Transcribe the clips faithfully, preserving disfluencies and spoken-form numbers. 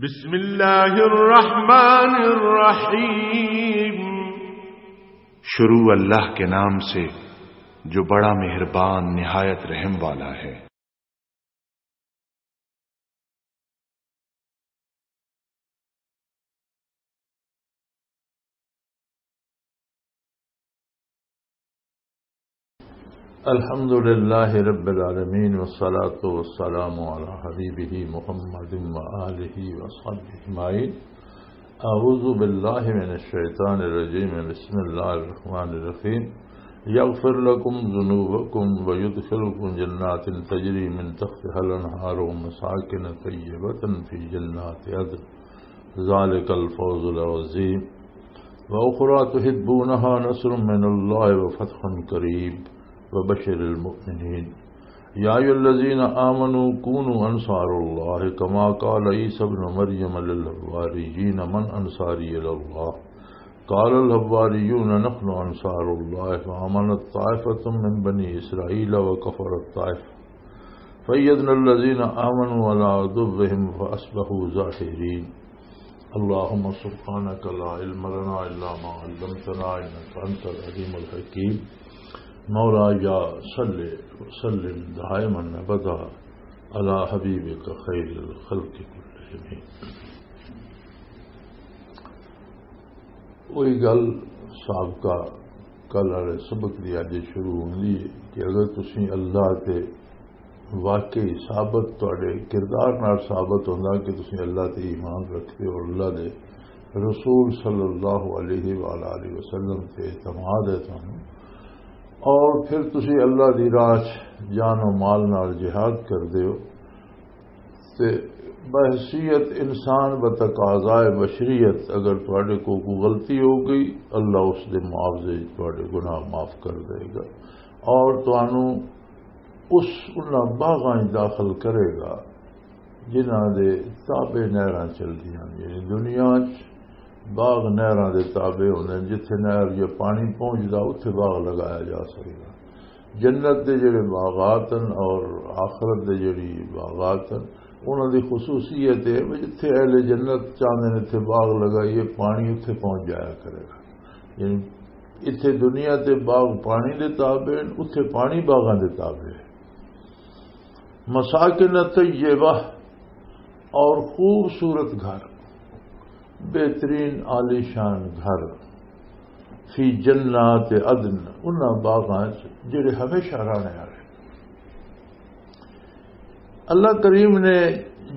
بسم اللہ الرحمن الرحیم۔ شروع اللہ کے نام سے جو بڑا مہربان نہایت رحم والا ہے۔ الحمد لله رب العالمين، والصلاة والسلام على حبيبه محمد وآله وصحبه أجمعين. أعوذ بالله من الشيطان الرجيم. بسم الله الرحمن الرحيم. يغفر لكم ذنوبكم ويدخلكم جنات تجري من تحتها الأنهار ومساكن طيبة في جنات عدن. ذلك الفوز العظيم. وأخرى تحبونها، نصر من الله وفتح قريب، وبشر المؤمنين. يا أيها الذين آمنوا كونوا أنصار الله كما قال عيسى ابن مريم للحواريين: من أنصاري إلى الله؟ قال الحواريون: نحن أنصار الله، فآمنت طائفة من بني إسرائيل وكفرت طائفة، فأيدنا الذين آمنوا على عدوهم فأصبحوا ظاهرين. اللهم سبحانك لا علم لنا إلا ما علمتنا إنك أنت العليم الحكيم. مولاي صل وسلم دائما أبدا على حبيبك خير الخلق كلهم. وہی گل سابقہ کل والے سبق دی اج شروع ہوندی ہے کہ اگر تسی اللہ تے واقعی ثابت، تہاڈے کردار نال ثابت ہوندا کہ تسی اللہ تے ایمان رکھدے ہو اور اللہ دے رسول صلی اللہ علیہ وآلہ وسلم تے اعتماد ہے تانوں، اور پھر تسی اللہ دی راہ چ جان و مال نال جہاد کردے ہو، تے بحیثیت انسان، بتقاضائے بشریت، اگر تہاڈے کو کوئی غلطی ہو گئی، اللہ اس دے معاوضے وچ تہاڈے گناہ معاف کر دے گا، اور تانوں اس انہاں باغاں وچ داخل کرے گا جنہاں دے تابع نہراں چلدیاں نے۔ یعنی دنیا وچ باغ نہراں دے تابع ہوندے نے، جتھے نہر یا پانی پہنچدا، اتھے باغ لگایا جا سکدا۔ جنت دے جڑے باغات ہیں اور آخرت دے جڑی باغات ہیں، انہاں دی خصوصیت ہے کہ جتھے اہل جنت چاہندے نے اتھے باغ لگائیے، پانی اتھے پہنچ جایا کرے گا۔ یعنی اتھے دنیا تے باغ پانی دے تابع ہیں، اتھے پانی باغاں دے تابع ہے۔ مساکن طیبہ، اور خوبصورت گھر، بہترین عالیشان گھر، فی جنات عدن، انہاں باغاں چ جڑے ہمیشہ رہنے والے۔ اللہ کریم نے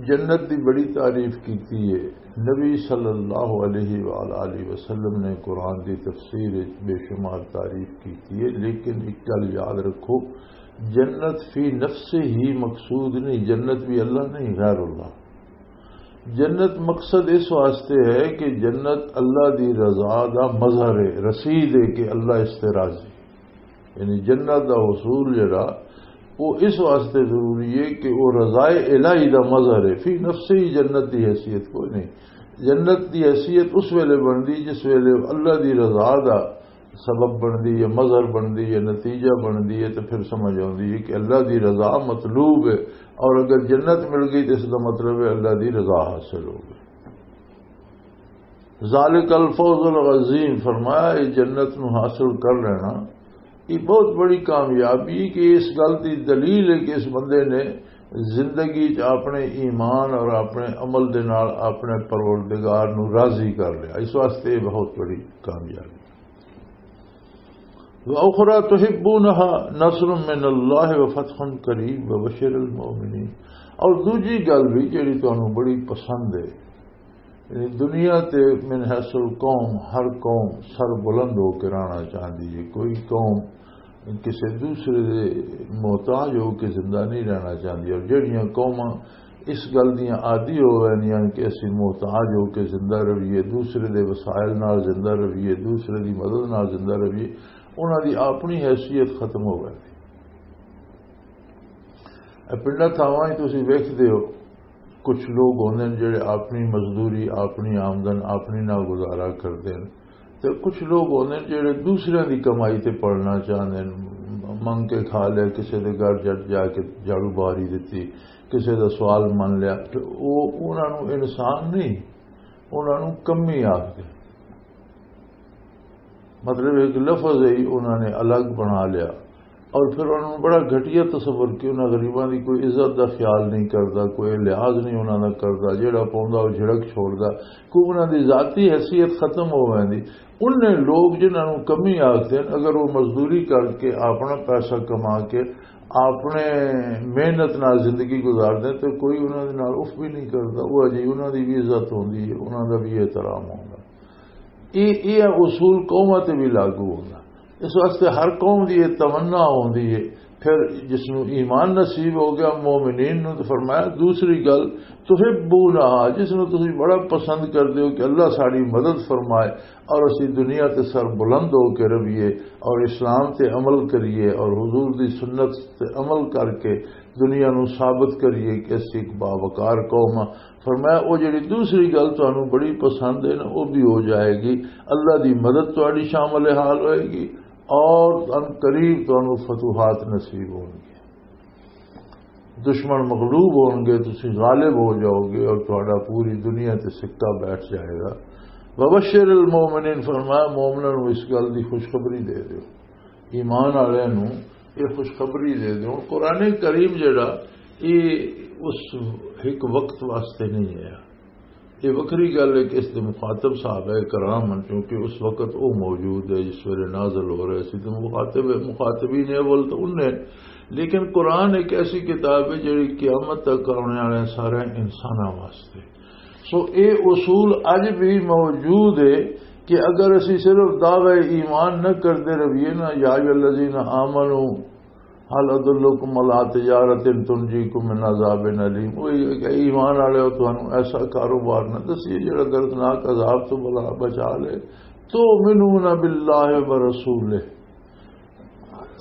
جنت دی بڑی تعریف کیتی ہے۔ نبی صلی اللہ علیہ وآلہ وسلم نے قرآن دی تفسیر وچ بے شمار تعریف کیتی ہے، لیکن ایک گل یاد رکھو، جنت فی نفسہ ہی مقصود نہیں، جنت بھی اللہ نہیں، غیر اللہ۔ جنت مقصد اس واسطے ہے کہ جنت اللہ دی رضا دا مظہر ہے، رسید ہے کہ اللہ اس تے راضی۔ یعنی جنت دا حصول جڑا، وہ اس واسطے ضروری ہے کہ وہ رضائے الہی دا مظہر ہے، فی نفسہ ہی جنت دی حیثیت کوئی نہیں۔ جنت دی حیثیت اس ویلے بندی جس ویلے اللہ دی رضا دا سبب بندی ہے، مظہر بندی ہے، نتیجہ بندی ہے، تو پھر سمجھ آندی ہے کہ اللہ دی رضا مطلوب ہے، اور اگر جنت مل گئی تو اس دا مطلب ہے اللہ دی رضا حاصل ہو گئی۔ ذالک الفوز العظیم، فرمایا، یہ جنت نو حاصل کر لینا، یہ بہت بڑی کامیابی کہ اس گل دی دلیل ہے کہ اس بندے نے زندگی چ اپنے ایمان اور اپنے عمل دے نال اپنے پروردگار نو راضی کر لیا۔ اس واسطے یہ بہت بڑی کامیابی۔ وَأُخْرَى تُحِبُّونَهَا نَصْرٌ مِّنَ اللَّهِ وَفَتْحٌ قَرِيبٌ وَبَشِّرِ الْمُؤْمِنِينَ۔ اور دوجی گل بھی جڑی تانوں بڑی پسند ہے، یعنی دنیا تے من حیث القوم ہر قوم سر بلند ہو کے رہنا چاہتی ہے، کوئی قوم کسی دوسرے دے محتاج ہو کے زندہ نہیں رہنا چاہتی، اور جڑیاں قوماں اس گل دیاں عادی ہو ویندیاں کہ اسی محتاج ہو کے زندہ رہیے، دوسرے دے وسائل نال زندہ رہیے، دوسرے دی مدد نال زندہ رہیے، انہاں دی اپنی حیثیت ختم ہو ویندی۔ اے پنڈاں تھاواں ہی تسی ویکھدے ہو، کچھ لوگ ہوندے نے جڑے اپنی مزدوری، اپنی آمدن، اپنی نال گزارا کردے نے، تے کچھ لوگ ہوندے نے جڑے دوسرے دی کمائی تے پلنا چاہندے نے، منگ کے کھا لیا، کسی دے گھر جا جا کے جھاڑو باری دتی، کسی دا سوال من لیا، تے او انہاں نوں انسان نہیں، انہاں نوں کمی آکھدے۔ مطلب ایک لفظ ہی انہاں نے الگ بنا لیا، اور پھر انہاں نوں بڑا گھٹیا تصور کہ انہاں غریباں دی کوئی عزت دا خیال نہیں کردا، کوئی لحاظ نہیں انہاں دا کردا، جیڑا پوندا او جھڑک چھوڑدا، کوئی انہاں دی ذاتی حیثیت ختم ہو ویندی۔ انہیں لوگ جنہاں نوں کمی آکھدے ہن، اگر وہ مزدوری کر کے اپنا پیسہ کما کے اپنے محنت نال زندگی گزار دے تو کوئی انہاں دے نال اف بھی نہیں کردا، وہ اجے انہاں دی بھی عزت ہوندی ہے، انہاں دا بھی احترام ہوندا۔ یہ یہ اصول قوماں تے بھی لاگو ہوندا۔ اس واسطے ہر قوم دی یہ تمنا ہوندی ہے۔ پھر جس نوں ایمان نصیب ہو گیا مومنین نوں، تو فرمایا دوسری گل، تحبونہا، جس نوں تسی بڑا پسند کردے ہو کہ اللہ ساڈی مدد فرمائے اور اسی دنیا تے سر بلند ہو کے رہیے اور اسلام تے عمل کریے اور حضور دی سنت تے عمل کر کے دنیا نوں ثابت کریے کہ اسی ایک باوقار قوم ہاں۔ فرمایا، او جڑی دوسری گل تانوں بڑی پسند ہے نا، او بھی ہو جائے گی۔ اللہ دی مدد تہاڈی شامل حال ہوئے گی اور ان قریب تانوں فتوحات نصیب ہون گے۔ دشمن مغلوب ہون گے، تسی غالب ہو جاؤ گے اور تہاڈا پوری دنیا تے سکہ بیٹھ جائے گا۔ وبشر المومنین، فرمایا مومناں نوں اس گل دی خوشخبری دے دیو، ایمان والے نوں یہ خوشخبری دے دیو۔ قرآن کریم جڑا، یہ اس ایک وقت واسطے نہیں ہے۔ یہ وکری گل ہے کہ اس دے مخاطب صحابہ کرام ہن، کیونکہ اس وقت وہ موجود ہے جس ویلے نازل ہو رہے سی، تو مخاطب، مخاطبین اول تو انہیں۔ لیکن قرآن ایک ایسی کتاب ہے جڑی قیامت تک آنے والے سارے انساناں واسطے۔ سو اے اصول اج بھی موجود ہے کہ اگر اسی صرف دعوی ایمان نہ کردے رہیے نا، یا ایھا الذین آمنو، هل ادلکم علی تجارۃ تنجیکم من عذاب الیم۔ او ایمان والے ہو، تانوں ایسا کاروبار نہ دسیے جڑا دردناک عذاب تو بلا بچا لے۔ تؤمنون باللہ ورسولہ،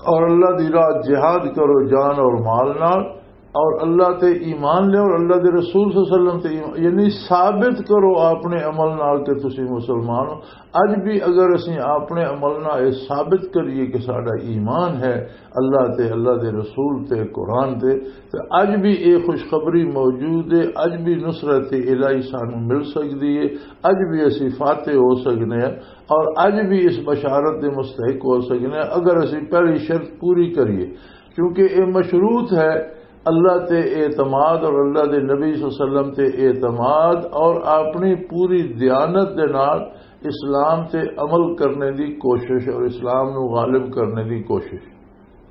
اور اللہ دی راہ جہاد کرو جان اور مال نال، اور اللہ تے ایمان لے اور اللہ دے رسول صلی اللہ علیہ وسلم تے ایمان، یعنی ثابت کرو اپنے عمل نال کہ تسی مسلمان ہو۔ اج بھی اگر اسی اپنے عمل نال یہ ثابت کریے کہ ساڈا ایمان ہے اللہ تے، اللہ دے رسول تے، قرآن تے، تے اج بھی یہ خوشخبری موجود ہے، اج بھی نصرت الہی سانو مل سکدی ہے، اج بھی اسی فاتح ہو سکنے ہیں اور اج بھی اس بشارت دے مستحق ہو سکنے ہیں اگر اسی پہلی شرط پوری کریے، کیونکہ یہ مشروط ہے اللہ تے اعتماد اور اللہ دے نبی صلی اللہ علیہ وسلم تے اعتماد اور اپنی پوری دیانت دے نال اسلام تے عمل کرنے دی کوشش اور اسلام نو غالب کرنے دی کوشش۔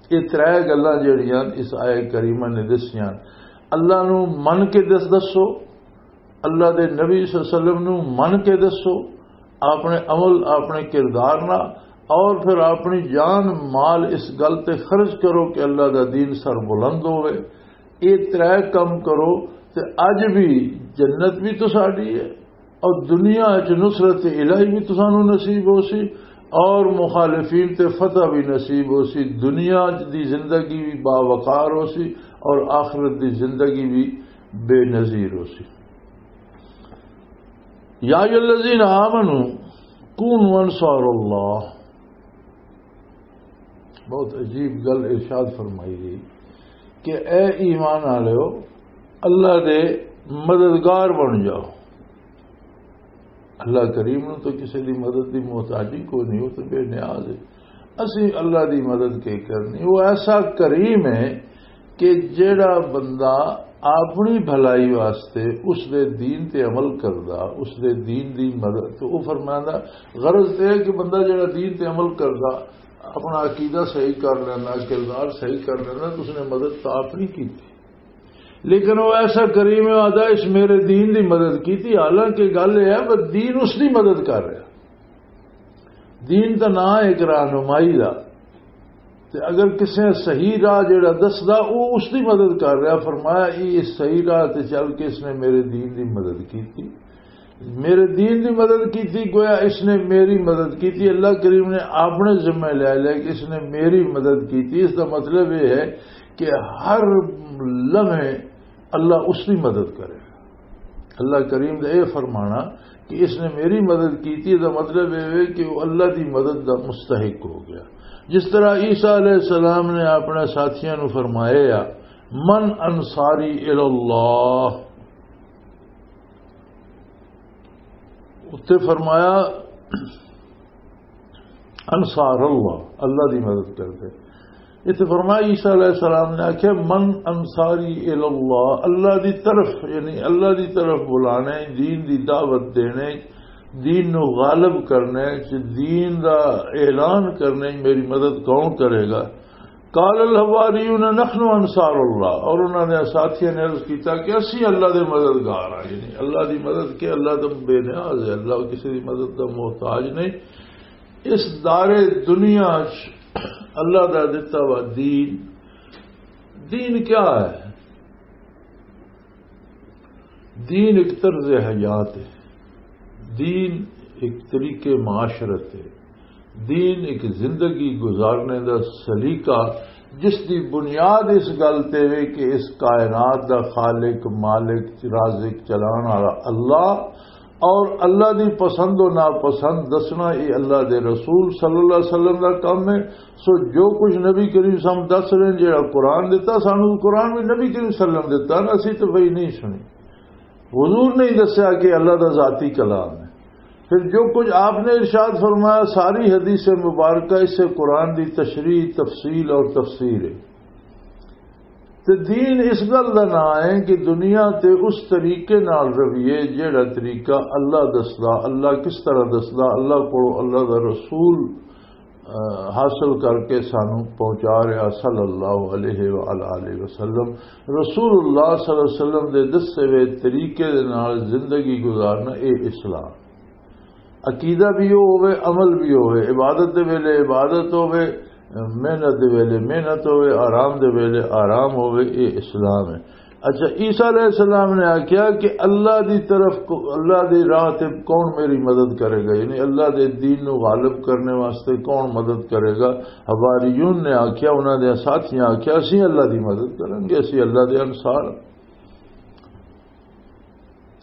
یہ ترے گلاں جڑیاں اس آیت کریمہ نے دسیاں، اللہ نو من کے دس دسو، اللہ دے نبی صلی اللہ علیہ وسلم نو من کے دسو، اپنے عمل، اپنے کردار نال، اور پھر اپنی جان مال اس گل تے خرچ کرو کہ اللہ دا دین سر بلند ہوئے۔ یہ ترے کم کرو تے اج بھی جنت بھی تو ساڈی ہے اور دنیا وچ نصرت الہی بھی تسانوں نصیب ہو سی اور مخالفین تے فتح بھی نصیب ہو سی۔ دنیا دی زندگی بھی باوقار ہو سی اور آخرت دی زندگی بھی بے نظیر ہو سی۔ یا ایھا الذین آمنو کونوا انصار اللہ۔ بہت عجیب گل ارشاد فرمائی گئی کہ اے ایمان والو، اللہ دے مددگار بن جاؤ۔ اللہ کریم نو تو کسی دی مدد دی محتاجی کوئی نہیں، وہ تو بے نیاز ہے۔ اسی اللہ دی مدد کے کرنی؟ وہ ایسا کریم ہے کہ جیڑا بندہ اپنی بھلائی واسطے اس دے دین تے عمل کردا، اس دے دین دی مدد، تو وہ فرماندا، غرض تے ہے کہ بندہ جیڑا دین تے عمل کردا، اپنا عقیدہ صحیح کر لینا، کردار صحیح کر لینا، تو اس نے مدد تو آپ نہیں کی۔ لیکن وہ ایسا کریم ہے، آدھا، اس میرے دین دی مدد کی تھی، حالانکہ گل یہ ہے، بس دین اس دی مدد کر رہا۔ دین دا نام ہے ایک رہنمائی دا۔ تے اگر کسے صحیح راہ جڑا دسدا، او اس دی مدد کر رہا۔ فرمایا، "یہ اس صحیح راہ تے چل کے اس نے میرے دین دی مدد کیتی، میرے دین دی مدد کیتی، گویا اس نے میری مدد کیتی۔" اللہ کریم نے اپنے ذمہ لے لیا کہ اس نے میری مدد کیتی۔ اس دا مطلب یہ ہے کہ ہر لمحے اللہ اس دی مدد کرے۔ اللہ کریم دا اے فرمانا کہ اس نے میری مدد کی تھی، دا مطلب اے ہوئے کہ وہ اللہ دی مدد دا مستحق ہو گیا۔ جس طرح عیسیٰ علیہ السلام نے اپنے ساتھیاں نو فرمایا، "من انصاری الی اللہ؟" اتے فرمایا، "انصار اللہ، اللہ دی مدد کر دے۔" اتنے فرمایا، عیسیٰ علیہ السلام نے آخیا، "من انصاری الی اللہ؟" اللہ دی طرف، یعنی اللہ دی طرف بلانے، دین دی دعوت دینے، دین نو غالب کرنے، دین دا اعلان کرنے، میری مدد کون کرے گا؟ قال الحواریون نحن انصار اللہ، اور انہاں نے ساتھیاں نے عرض کیتا کہ اسی اللہ دے مددگار ہاں، یعنی اللہ دی مدد کے، اللہ تو بے نیاز ہے، اللہ کسی دی مدد دا محتاج نہیں۔ اس دار دنیا چ اللہ دا دتا ہوا دین، دین کیا ہے؟ دین ایک طرز حیات ہے، دین ایک طریقے معاشرت ہے، دین ایک زندگی گزارنے دا سلیقہ، جس دی بنیاد اس گل تے وے کہ اس کائنات دا خالق، مالک، رازق، چلان والا اللہ، اور اللہ دی پسند و ناپسند دسنا، یہ اللہ دے رسول صلی اللہ علیہ وسلم دا کم ہے۔ سو جو کچھ نبی کریم صلی اللہ علیہ وسلم دس رہے ہیں، جڑا قرآن دیتا سانو، قرآن بھی نبی کریم صلی اللہ علیہ وسلم دیتا نا، اسی تو وہی نہیں سنی۔ حضور نے ہی دسیا کہ اللہ دا ذاتی کلام ہے۔ پھر جو کچھ آپ نے ارشاد فرمایا، ساری حدیث مبارکہ اس سے قرآن دی تشریح، تفصیل اور تفسیر ہے۔ تے دین اس گل دا نام ہے کہ دنیا تے اس طریقے نال رویے، جہڑا طریقہ اللہ دسدا، اللہ کس طرح دسدا، اللہ کو اللہ دا رسول، آ، حاصل کر کے سانو پہنچا رہا صلی اللہ علیہ وآلہ وسلم۔ رسول اللہ صلی اللہ علیہ وسلم دے دسے ہوئے طریقے دے نال زندگی گزارنا، اے اسلام۔ عقیدہ بھی وہ ہوئے، عمل بھی ہوئے، عبادت دے ویلے عبادت ہوئے، محنت دے ویلے محنت ہوئے، آرام دے ویلے آرام ہوئے، یہ اسلام ہے۔ اچھا، عیسیٰ علیہ السلام نے آکھیا کہ اللہ دی طرف کو، اللہ دی راہ تے کون میری مدد کرے گا؟ یعنی اللہ دے دین نو غالب کرنے واسطے کون مدد کرے گا؟ حواریون نے آکھیا، انہاں دے ساتھیاں آکھیا، "اسی اللہ دی مدد کریں گے، اسی اللہ دے انصار۔"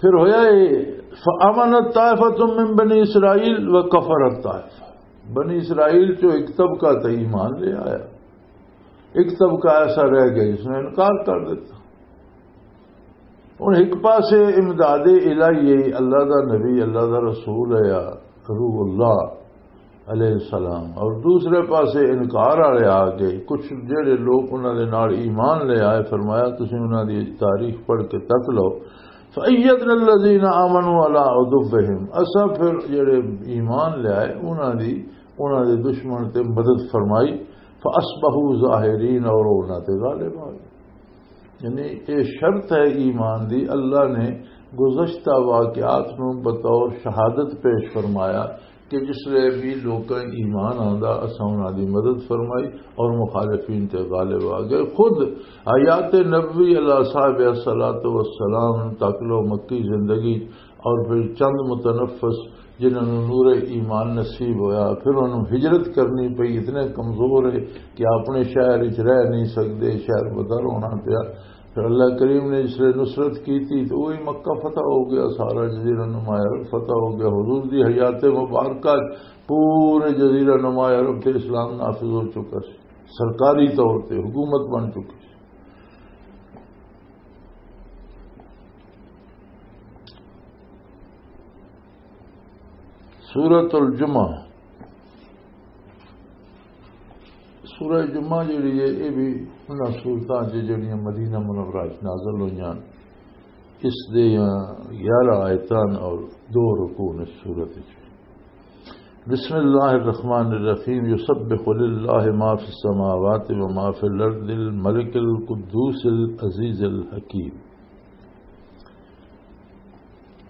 پھر ہویا یہ، فَآمَنَتْ طَائِفَةٌ مِّن بَنِي إِسْرَائِيلَ وَكَفَرَتْ طَائِفَةٌ۔ بنی اسرائیل چو ایک طبقہ تے ایمان لے آیا، ایک طبقہ ایسا رہ گیا جس نے انکار کر دیتا۔ ہن ایک پاسے امداد الہی ہے، اللہ دا نبی، اللہ دا رسول ہے، یا روح اللہ علیہ السلام، اور دوسرے پاسے انکار والے آ گئے۔ کچھ جڑے لوگ انہاں دے نال ایمان لے آئے، فرمایا، "تسی انہاں دی تاریخ پڑھ کے تک لو۔" فَأَيَّدْنَا الَّذِينَ آمَنُوا عَلَىٰ عُدُوِّهِمْ، اساں پھر جڑے ایمان لے آئے، انہاں دی، انہاں دے دشمن تے مدد فرمائی۔ فَأَصْبَحُوا ظَاهِرِينَ، اور انہاں تے غالب آ گئے۔ یعنی یہ شرط ہے ایمان دی۔ اللہ نے گزشتہ واقعات نو بطور شہادت پیش فرمایا کہ جس لئے بھی لوکاں ایمان آندا، اساں انہاں دی مدد فرمائی اور مخالفین تے غالب آ گئے۔ خود حیات نبوی علیہ صاحب الصلاۃ والسلام تک لو مکی زندگی اور پھر چند متنفس جنہاں نوں نور ایمان نصیب ہویا، پھر انہوں ہجرت کرنی پئی، اتنے کمزور ہے کہ اپنے شہر وچ رہ نہیں سکدے، شہر بدر ہونا پیا۔ پھر اللہ کریم نے اس لیے نصرت کی تھی تو وہی مکہ فتح ہو گیا، سارا جزیرہ نما عرب فتح ہو گیا۔ حضور دی حیات مبارکہ پورے جزیرہ نما عرب تے اسلام نافذ ہو چکا سی، سرکاری طور تے حکومت بن چکی سی۔ سورۃ الجمعہ، سورہ جمعہ جڑی ہے، یہ بھی انہاں سورتاں چ جڑیاں مدینہ منورہ چ نازل ہوئیاں، اس دے گیارہ آیتاں اور دو رکوع نے سورت وچ۔ بسم اللہ الرحمن الرحیم، یسبح للہ ما فی السماوات و ما فی الارض الملک القدوس العزیز الحکیم۔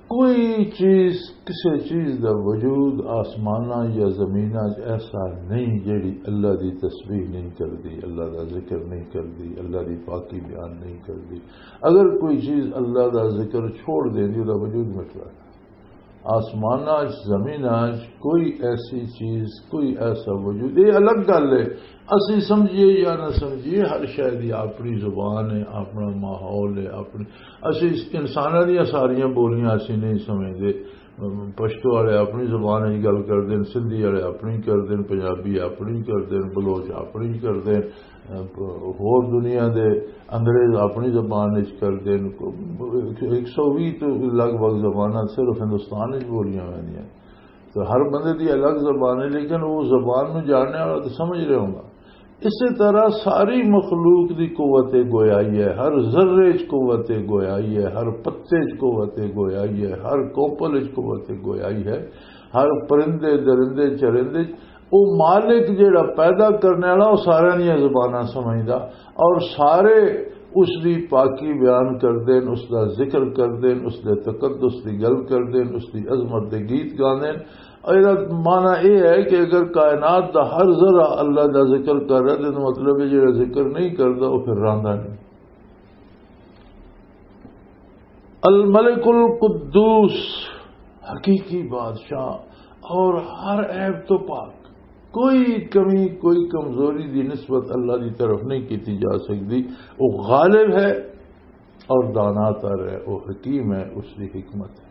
کوئی چیز، کسی چیز دا وجود آسماناں یا زمیناں 'چ ایسا نہیں جیڑی اللہ دی تسبیح نہیں کردی، اللہ دا ذکر نہیں کردی، اللہ دی پاکی بیان نہیں کردی۔ اگر کوئی چیز اللہ دا ذکر چھوڑ دیندی، وہ دا وجود مٹ جانا۔ آسماناں وچ، زمیناں وچ کوئی ایسی چیز، کوئی ایسا وجود، یہ الگ گل ہے۔ اسی سمجھیے یا نہ سمجھیے، ہر شے دی اپنی زبان ہے، اپنا ماحول ہے، اپنی، اسی انساناں دیاں ساریاں بولیاں اسی نہیں سمجھدے۔ پشتو والے اپنی زبان وچ گل کردے نے، سندھی والے اپنی کردے نے، پنجابی اپنی کردے نے، بلوچ اپنی کردے نے، ہور دنیا دے انگریز اپنی زبان وچ کردے نے۔ ایک سو ویہہ تو لگ بھگ زباناں صرف ہندوستان وچ بولیاں ویندیاں۔ تو ہر بندے دی الگ زبان ہے، لیکن وہ زبان نو جاننے والا تو سمجھ رہے ہوگا۔ اسی طرح ساری مخلوق دی قوت گویائی ہے، ہر ذرے چ قوت گویائی ہے، ہر پتے چ قوت گویائی ہے، ہر کوپل چ قوت گویائی ہے، ہر پرندے، درندے، چرندے چ۔ او مالک جیڑا پیدا کرنے والا، او سارے دیاں زباناں سمجھدا، اور سارے اس دی پاکی بیان کردے نے، اس دا ذکر کردے نے، اس دے تقدس دی گل کردے نے، اس دی عظمت دے گیت گاندے نے۔ اور ایہدا معنی اے ہے کہ اگر کائنات دا ہر ذرہ اللہ دا ذکر کر رہا، تے مطلب ہے جڑا ذکر نہیں کردا، او پھر رہندا نہیں۔ الملک القدوس، حقیقی بادشاہ اور ہر عیب تو پاک، کوئی کمی، کوئی کمزوری دی نسبت اللہ دی طرف نہیں کیتی جا سکتی۔ وہ غالب ہے اور دانا تر ہے، وہ حکیم ہے، اس دی حکمت ہے۔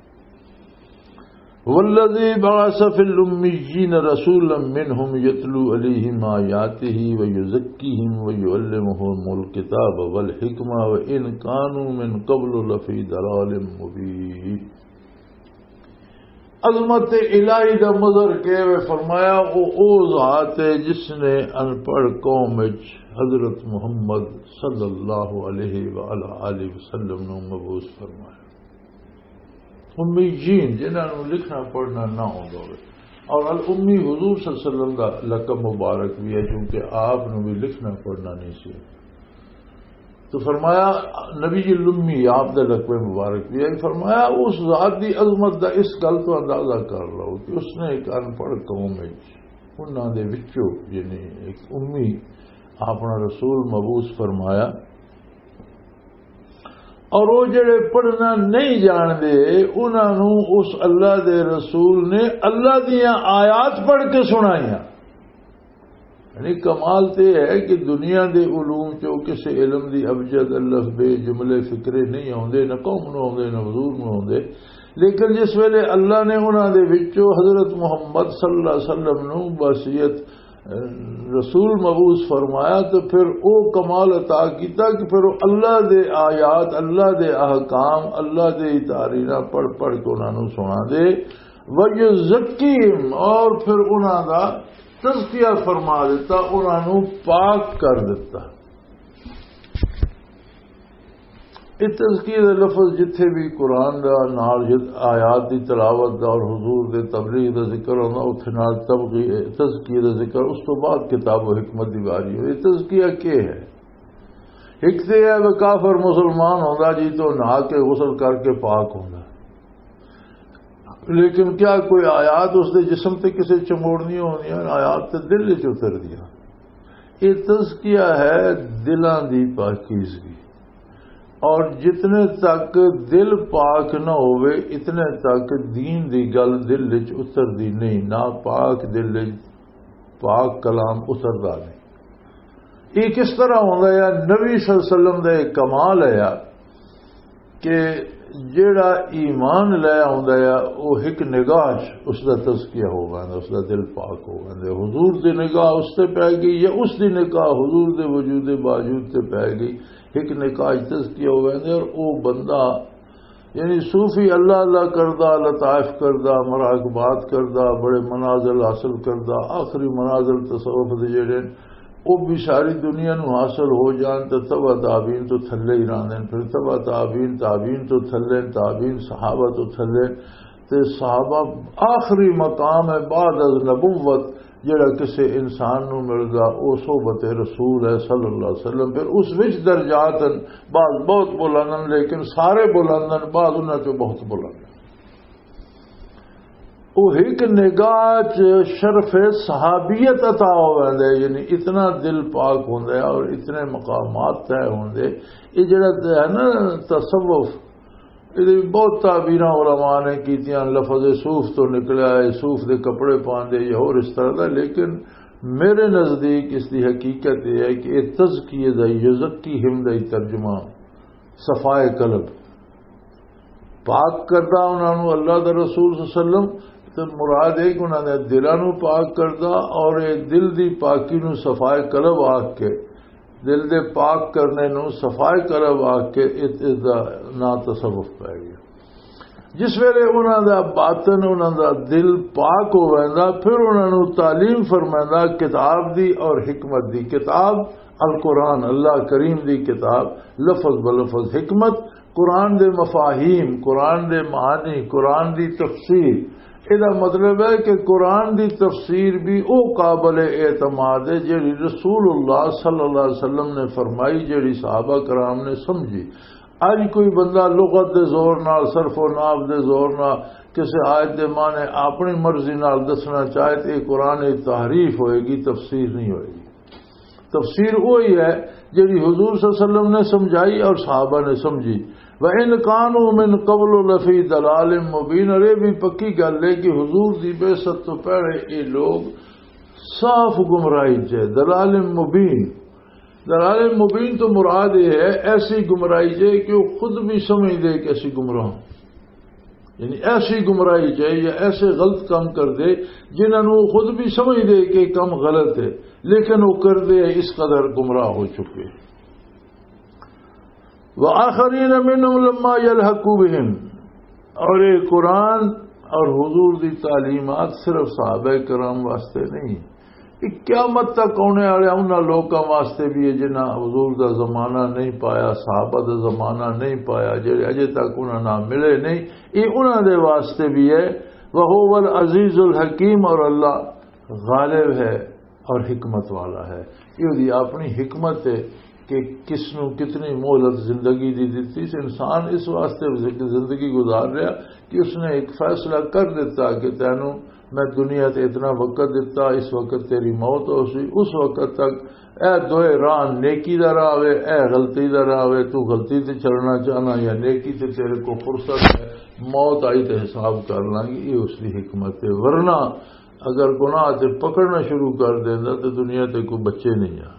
والذی بعث فی الامیین رسولا منہم یتلو علیہم آیاتہ ویزکیہم ویعلمہم الکتاب والحکمہ وان کانوا من قبل لفی ضلال مبین۔ عظمت الہی دا مظہر کہے ہوئے فرمایا، او، او ذات ہے جس نے ان پڑھ قوم وچ حضرت محمد صلی اللہ علیہ وآلہ آلہ وسلم نو مبعوث فرمایا۔ امیین، جنہاں نو لکھنا پڑھنا نہ ہوندا ہوئے۔ اور الامی حضور صلی اللہ علیہ وسلم دا لقب مبارک بھی ہے، کیونکہ آپ نو بھی لکھنا پڑھنا نہیں سی۔ تو فرمایا، نبی الامی آپ دا لقب مبارک بھی ہے۔ فرمایا، اس ذات دی عظمت دا اس گل تو اندازہ کر لو کہ اس نے ایک ان پڑھ قوم وچ، انہاں دے وچوں، یعنی ایک امی اپنا رسول مبعوث فرمایا، اور وہ جڑے پڑھنا نہیں جاندے، انہاں نوں اس اللہ دے رسول نے اللہ دیاں آیات پڑھ کے سنائیاں۔ یعنی کمال تے ہے کہ دنیا دے علوم چوں کسے علم دی ابجد، الف بے، جملے فکرے نہیں ہوندے، نہ قوم نوں ہوندے، نہ حضور نوں ہوندے۔ لیکن جس ویلے اللہ نے انہاں دے وچوں حضرت محمد صلی اللہ علیہ وسلم نوں بصیرت، رسول مبعوث فرمایا، تو پھر او کمال عطا کیتا کہ پھر او اللہ دے آیات، اللہ دے احکام، اللہ دے تعلیمات پڑھ پڑھ کے انہاں نوں سنا دے۔ وَيُزَكِّيهِمْ، اور پھر انہاں دا تزکیہ فرما دیتا، انہاں نوں پاک کر دیتا۔ یہ تزکیہ دا لفظ جتھے بھی قرآن دا نال جت-، آیات دی تلاوت دا اور حضور دے تبلیغ دا ذکر ہوندا، اتھے نال تبغی-، تزکیہ دا ذکر اس تو بعد کتاب و حکمت دی واری ہوئی۔ تزکیہ کیا ہے؟ ایک تے ہے وہ کافر مسلمان ہوندا جی تو نہا کے غسل کر کے پاک ہوندا، لیکن کیا کوئی آیات اس دے جسم تے کسے چموڑنی ہوندیاں؟ آیات تے دل وچ اتردیاں۔ یہ تزکیہ ہے دلاں دی پاکیزگی۔ اور جتنے تک دل پاک نہ ہوئے، اتنے تک دین دی گل دل وچ اتردی نہیں، نہ پاک دل وچ پاک کلام اتردا نہیں۔ یہ کس طرح ہوندا ہے؟ نبی صلی اللہ علیہ وسلم دا ایک کمال ہے کہ جیڑا ایمان لے آوندا ہے، او ہک نگاہ چ اس دا تزکیہ ہو ویندا، اس دا دل پاک ہو ویندا۔ حضور دی نگاہ اس تے پے گئی یا اس دی نگاہ حضور دے وجود باوجود تے پے گئی، ہک نگاہ چ تزکیہ ہو ویندا اور او بندہ، یعنی صوفی اللہ اللہ کردا، لطائف کردا، مراقبات کردا، بڑے منازل حاصل کردا، آخری منازل تصوف دے جڑے او بھی ساری دنیا نو حاصل ہو جان تے تبع تابعین تو تھلے ہی رہندے نے۔ پھر تبع تابعین، تابعین تو تھلے، تابعین صحابہ تو تھلے، تے صحابہ آخری مقام ہے بعد از نبوت، جڑا کسے انسان نو ملدا، او صحبت رسول ہے صلی اللہ علیہ وسلم۔ پھر اس وچ درجات ہیں، بعض بہت بلند ہیں، لیکن سارے بلند ہیں، بعض انہاں چوں بہت بلند ہیں۔ وہ ایک نگاہ چ شرف صحابیت عطا ہو ویندا ہے، یعنی اتنا دل پاک ہوندا ہے اور اتنے مقامات طے ہوندے۔ یہ جڑا ہے نا تصوف، یہ بہت تعبیراں علماء نے کیتیاں، لفظ صوف تو نکلا ہے، صوف دے کپڑے پاندے یا اور اس طرح دا، لیکن میرے نزدیک اس دی حقیقت یہ ہے کہ یہ تزکیے دا، یزکیہم دا ہی ترجمہ، صفائے قلب، پاک کردا انہاں نوں اللہ دا رسول صلی اللہ علیہ وسلم۔ تے مراد ہے کہ انہاں دے دلاں نوں پاک کردا، اور یہ دل دی پاکی نوں صفائے قلب آکھ کے، دل دے پاک کرنے نوں صفائے قلب آکھ کے، اس، اس دا نام تصوف پہ گیا۔ جس ویلے انہاں دا باطن، انہاں دا دل پاک ہو ویندا، پھر انہاں نوں تعلیم فرمیندا کتاب دی اور حکمت دی۔ کتاب القرآن، اللہ کریم دی کتاب، لفظ بلفظ حکمت، قرآن دے مفاہیم، قرآن دے معنی، قرآن دی تفسیر۔ ادا مطلب ہے کہ قرآن دی تفسیر بھی او قابل اعتماد ہے جڑی رسول اللہ صلی اللہ علیہ وسلم نے فرمائی، جڑی صحابہ کرام نے سمجھی۔ اج کوئی بندہ لغت دے زور نال، صرف و ناف دے زور نال، کسی آیت دے معنی اپنی مرضی نال دسنا چاہے، تے قرآن دی تحریف ہوئے گی، تفسیر نہیں ہوئے گی۔ تفسیر وہی ہے جڑی حضور صلی اللہ علیہ وسلم نے سمجھائی اور صحابہ نے سمجھی۔ وَإِنْ كَانُوا مِنْ قَبْلُ لَفِي ضَلَالٍ مُبِينٍ، اور یہ بھی پکی گل ہے کہ حضور دی بعثت تو پہلے یہ لوگ صاف گمراہی چ ہے، ضلال مبین۔ ضلال مبین تو مراد یہ ہے ایسی گمراہی چ ہے کہ وہ خود بھی سمجھدے کہ اسی گمراہ ہوں۔ یعنی ایسی گمراہی چ ہے یا ایسے غلط کام کر دے جنہاں نوں وہ خود بھی سمجھدے کہ یہ کام غلط ہے، لیکن وہ کر دے اس قدر گمراہ ہو چکے۔ وآخرین منهم لما یلحقوا بهم، اور یہ قرآن اور حضور دی تعلیمات صرف صحابہ کرام واسطے نہیں، یہ قیامت تک آنے والے انہاں لوکاں واسطے بھی ہے جنہاں حضور دا زمانہ نہیں پایا، صحابہ دا زمانہ نہیں پایا، جڑے اجے تک انہاں نال ملے نہیں، یہ انہاں دے واسطے بھی ہے۔ وهو العزیز الحکیم، اور اللہ غالب ہے اور حکمت والا ہے۔ یہ دی اپنی حکمت ہے کہ کس نو کتنی مہلت زندگی دی دتی۔ انسان اس واسطے زندگی گزار رہا کہ اس نے ایک فیصلہ کر دیتا کہ تینوں میں دنیا تے اتنا وقت دیتا، اس وقت تیری موت ہو سی، اس وقت تک اے دوئے راہ، نیکی دا راہ وے، اے غلطی دا راہ وے، تو غلطی تے چلنا چاہنا یا نیکی تے، تیرے کو فرصت ہے، موت آئی تے حساب کر لانگی۔ یہ اس دی حکمت ہے۔ ورنہ اگر گناہ تے پکڑنا شروع کر دیندا تے دنیا تے کوئی بچے نہیں آ۔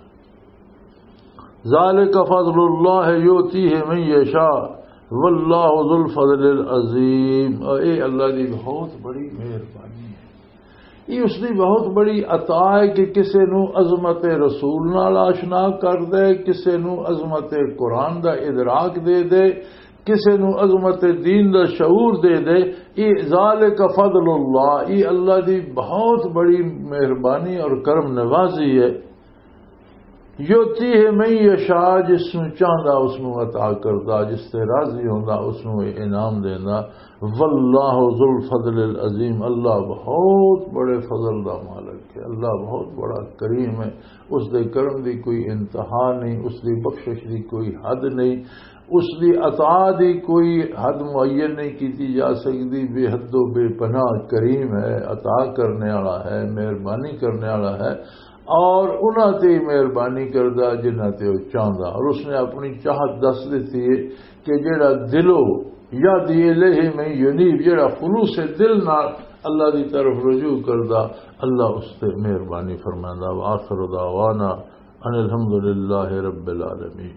ذالک فضل اللہ یؤتیہ من یشاء واللہ ذو الفضل العظیم۔ اور اے اللہ دی بہت بڑی مہربانی ہے۔ یہ اس دی بہت بڑی عطا ہے کہ کسے نو عظمت رسول نال آشنا کر دے، کسے نو عظمت قرآن دا ادراک دے دے، کسے نو عظمت دین دا شعور دے دے۔ یہ ذالک فضل اللہ، یہ اللہ دی بہت بڑی مہربانی اور کرم نوازی ہے۔ یؤتیہ من یشاء، جس نو چاہندا اس نو عطا کردا، جس تے راضی ہوندا اس نو انعام دیندا۔ واللہ ذو الفضل العظیم، اللہ بہت بڑے فضل دا مالک ہے، اللہ بہت بڑا کریم ہے۔ اس دے کرم دی کوئی انتہا نہیں، اس دی بخشش دی کوئی حد نہیں، اس دی عطا دی کوئی حد معین نہیں کیتی جا سکتی۔ بے حد و بے پناہ کریم ہے، عطا کرنے والا ہے، مہربانی کرنے والا ہے۔ اور انہاں تے ہی مہربانی کردا جنہاں تے وہ چاہندا، اور اس نے اپنی چاہت دس دتی ہے کہ جڑا دلو یہدی الیہ من ینیب، جڑا خلوص دل نال اللہ دی طرف رجوع کردا، اللہ اس تے مہربانی فرماندا۔ وآخر دعوانا ان الحمد للہ رب العالمین۔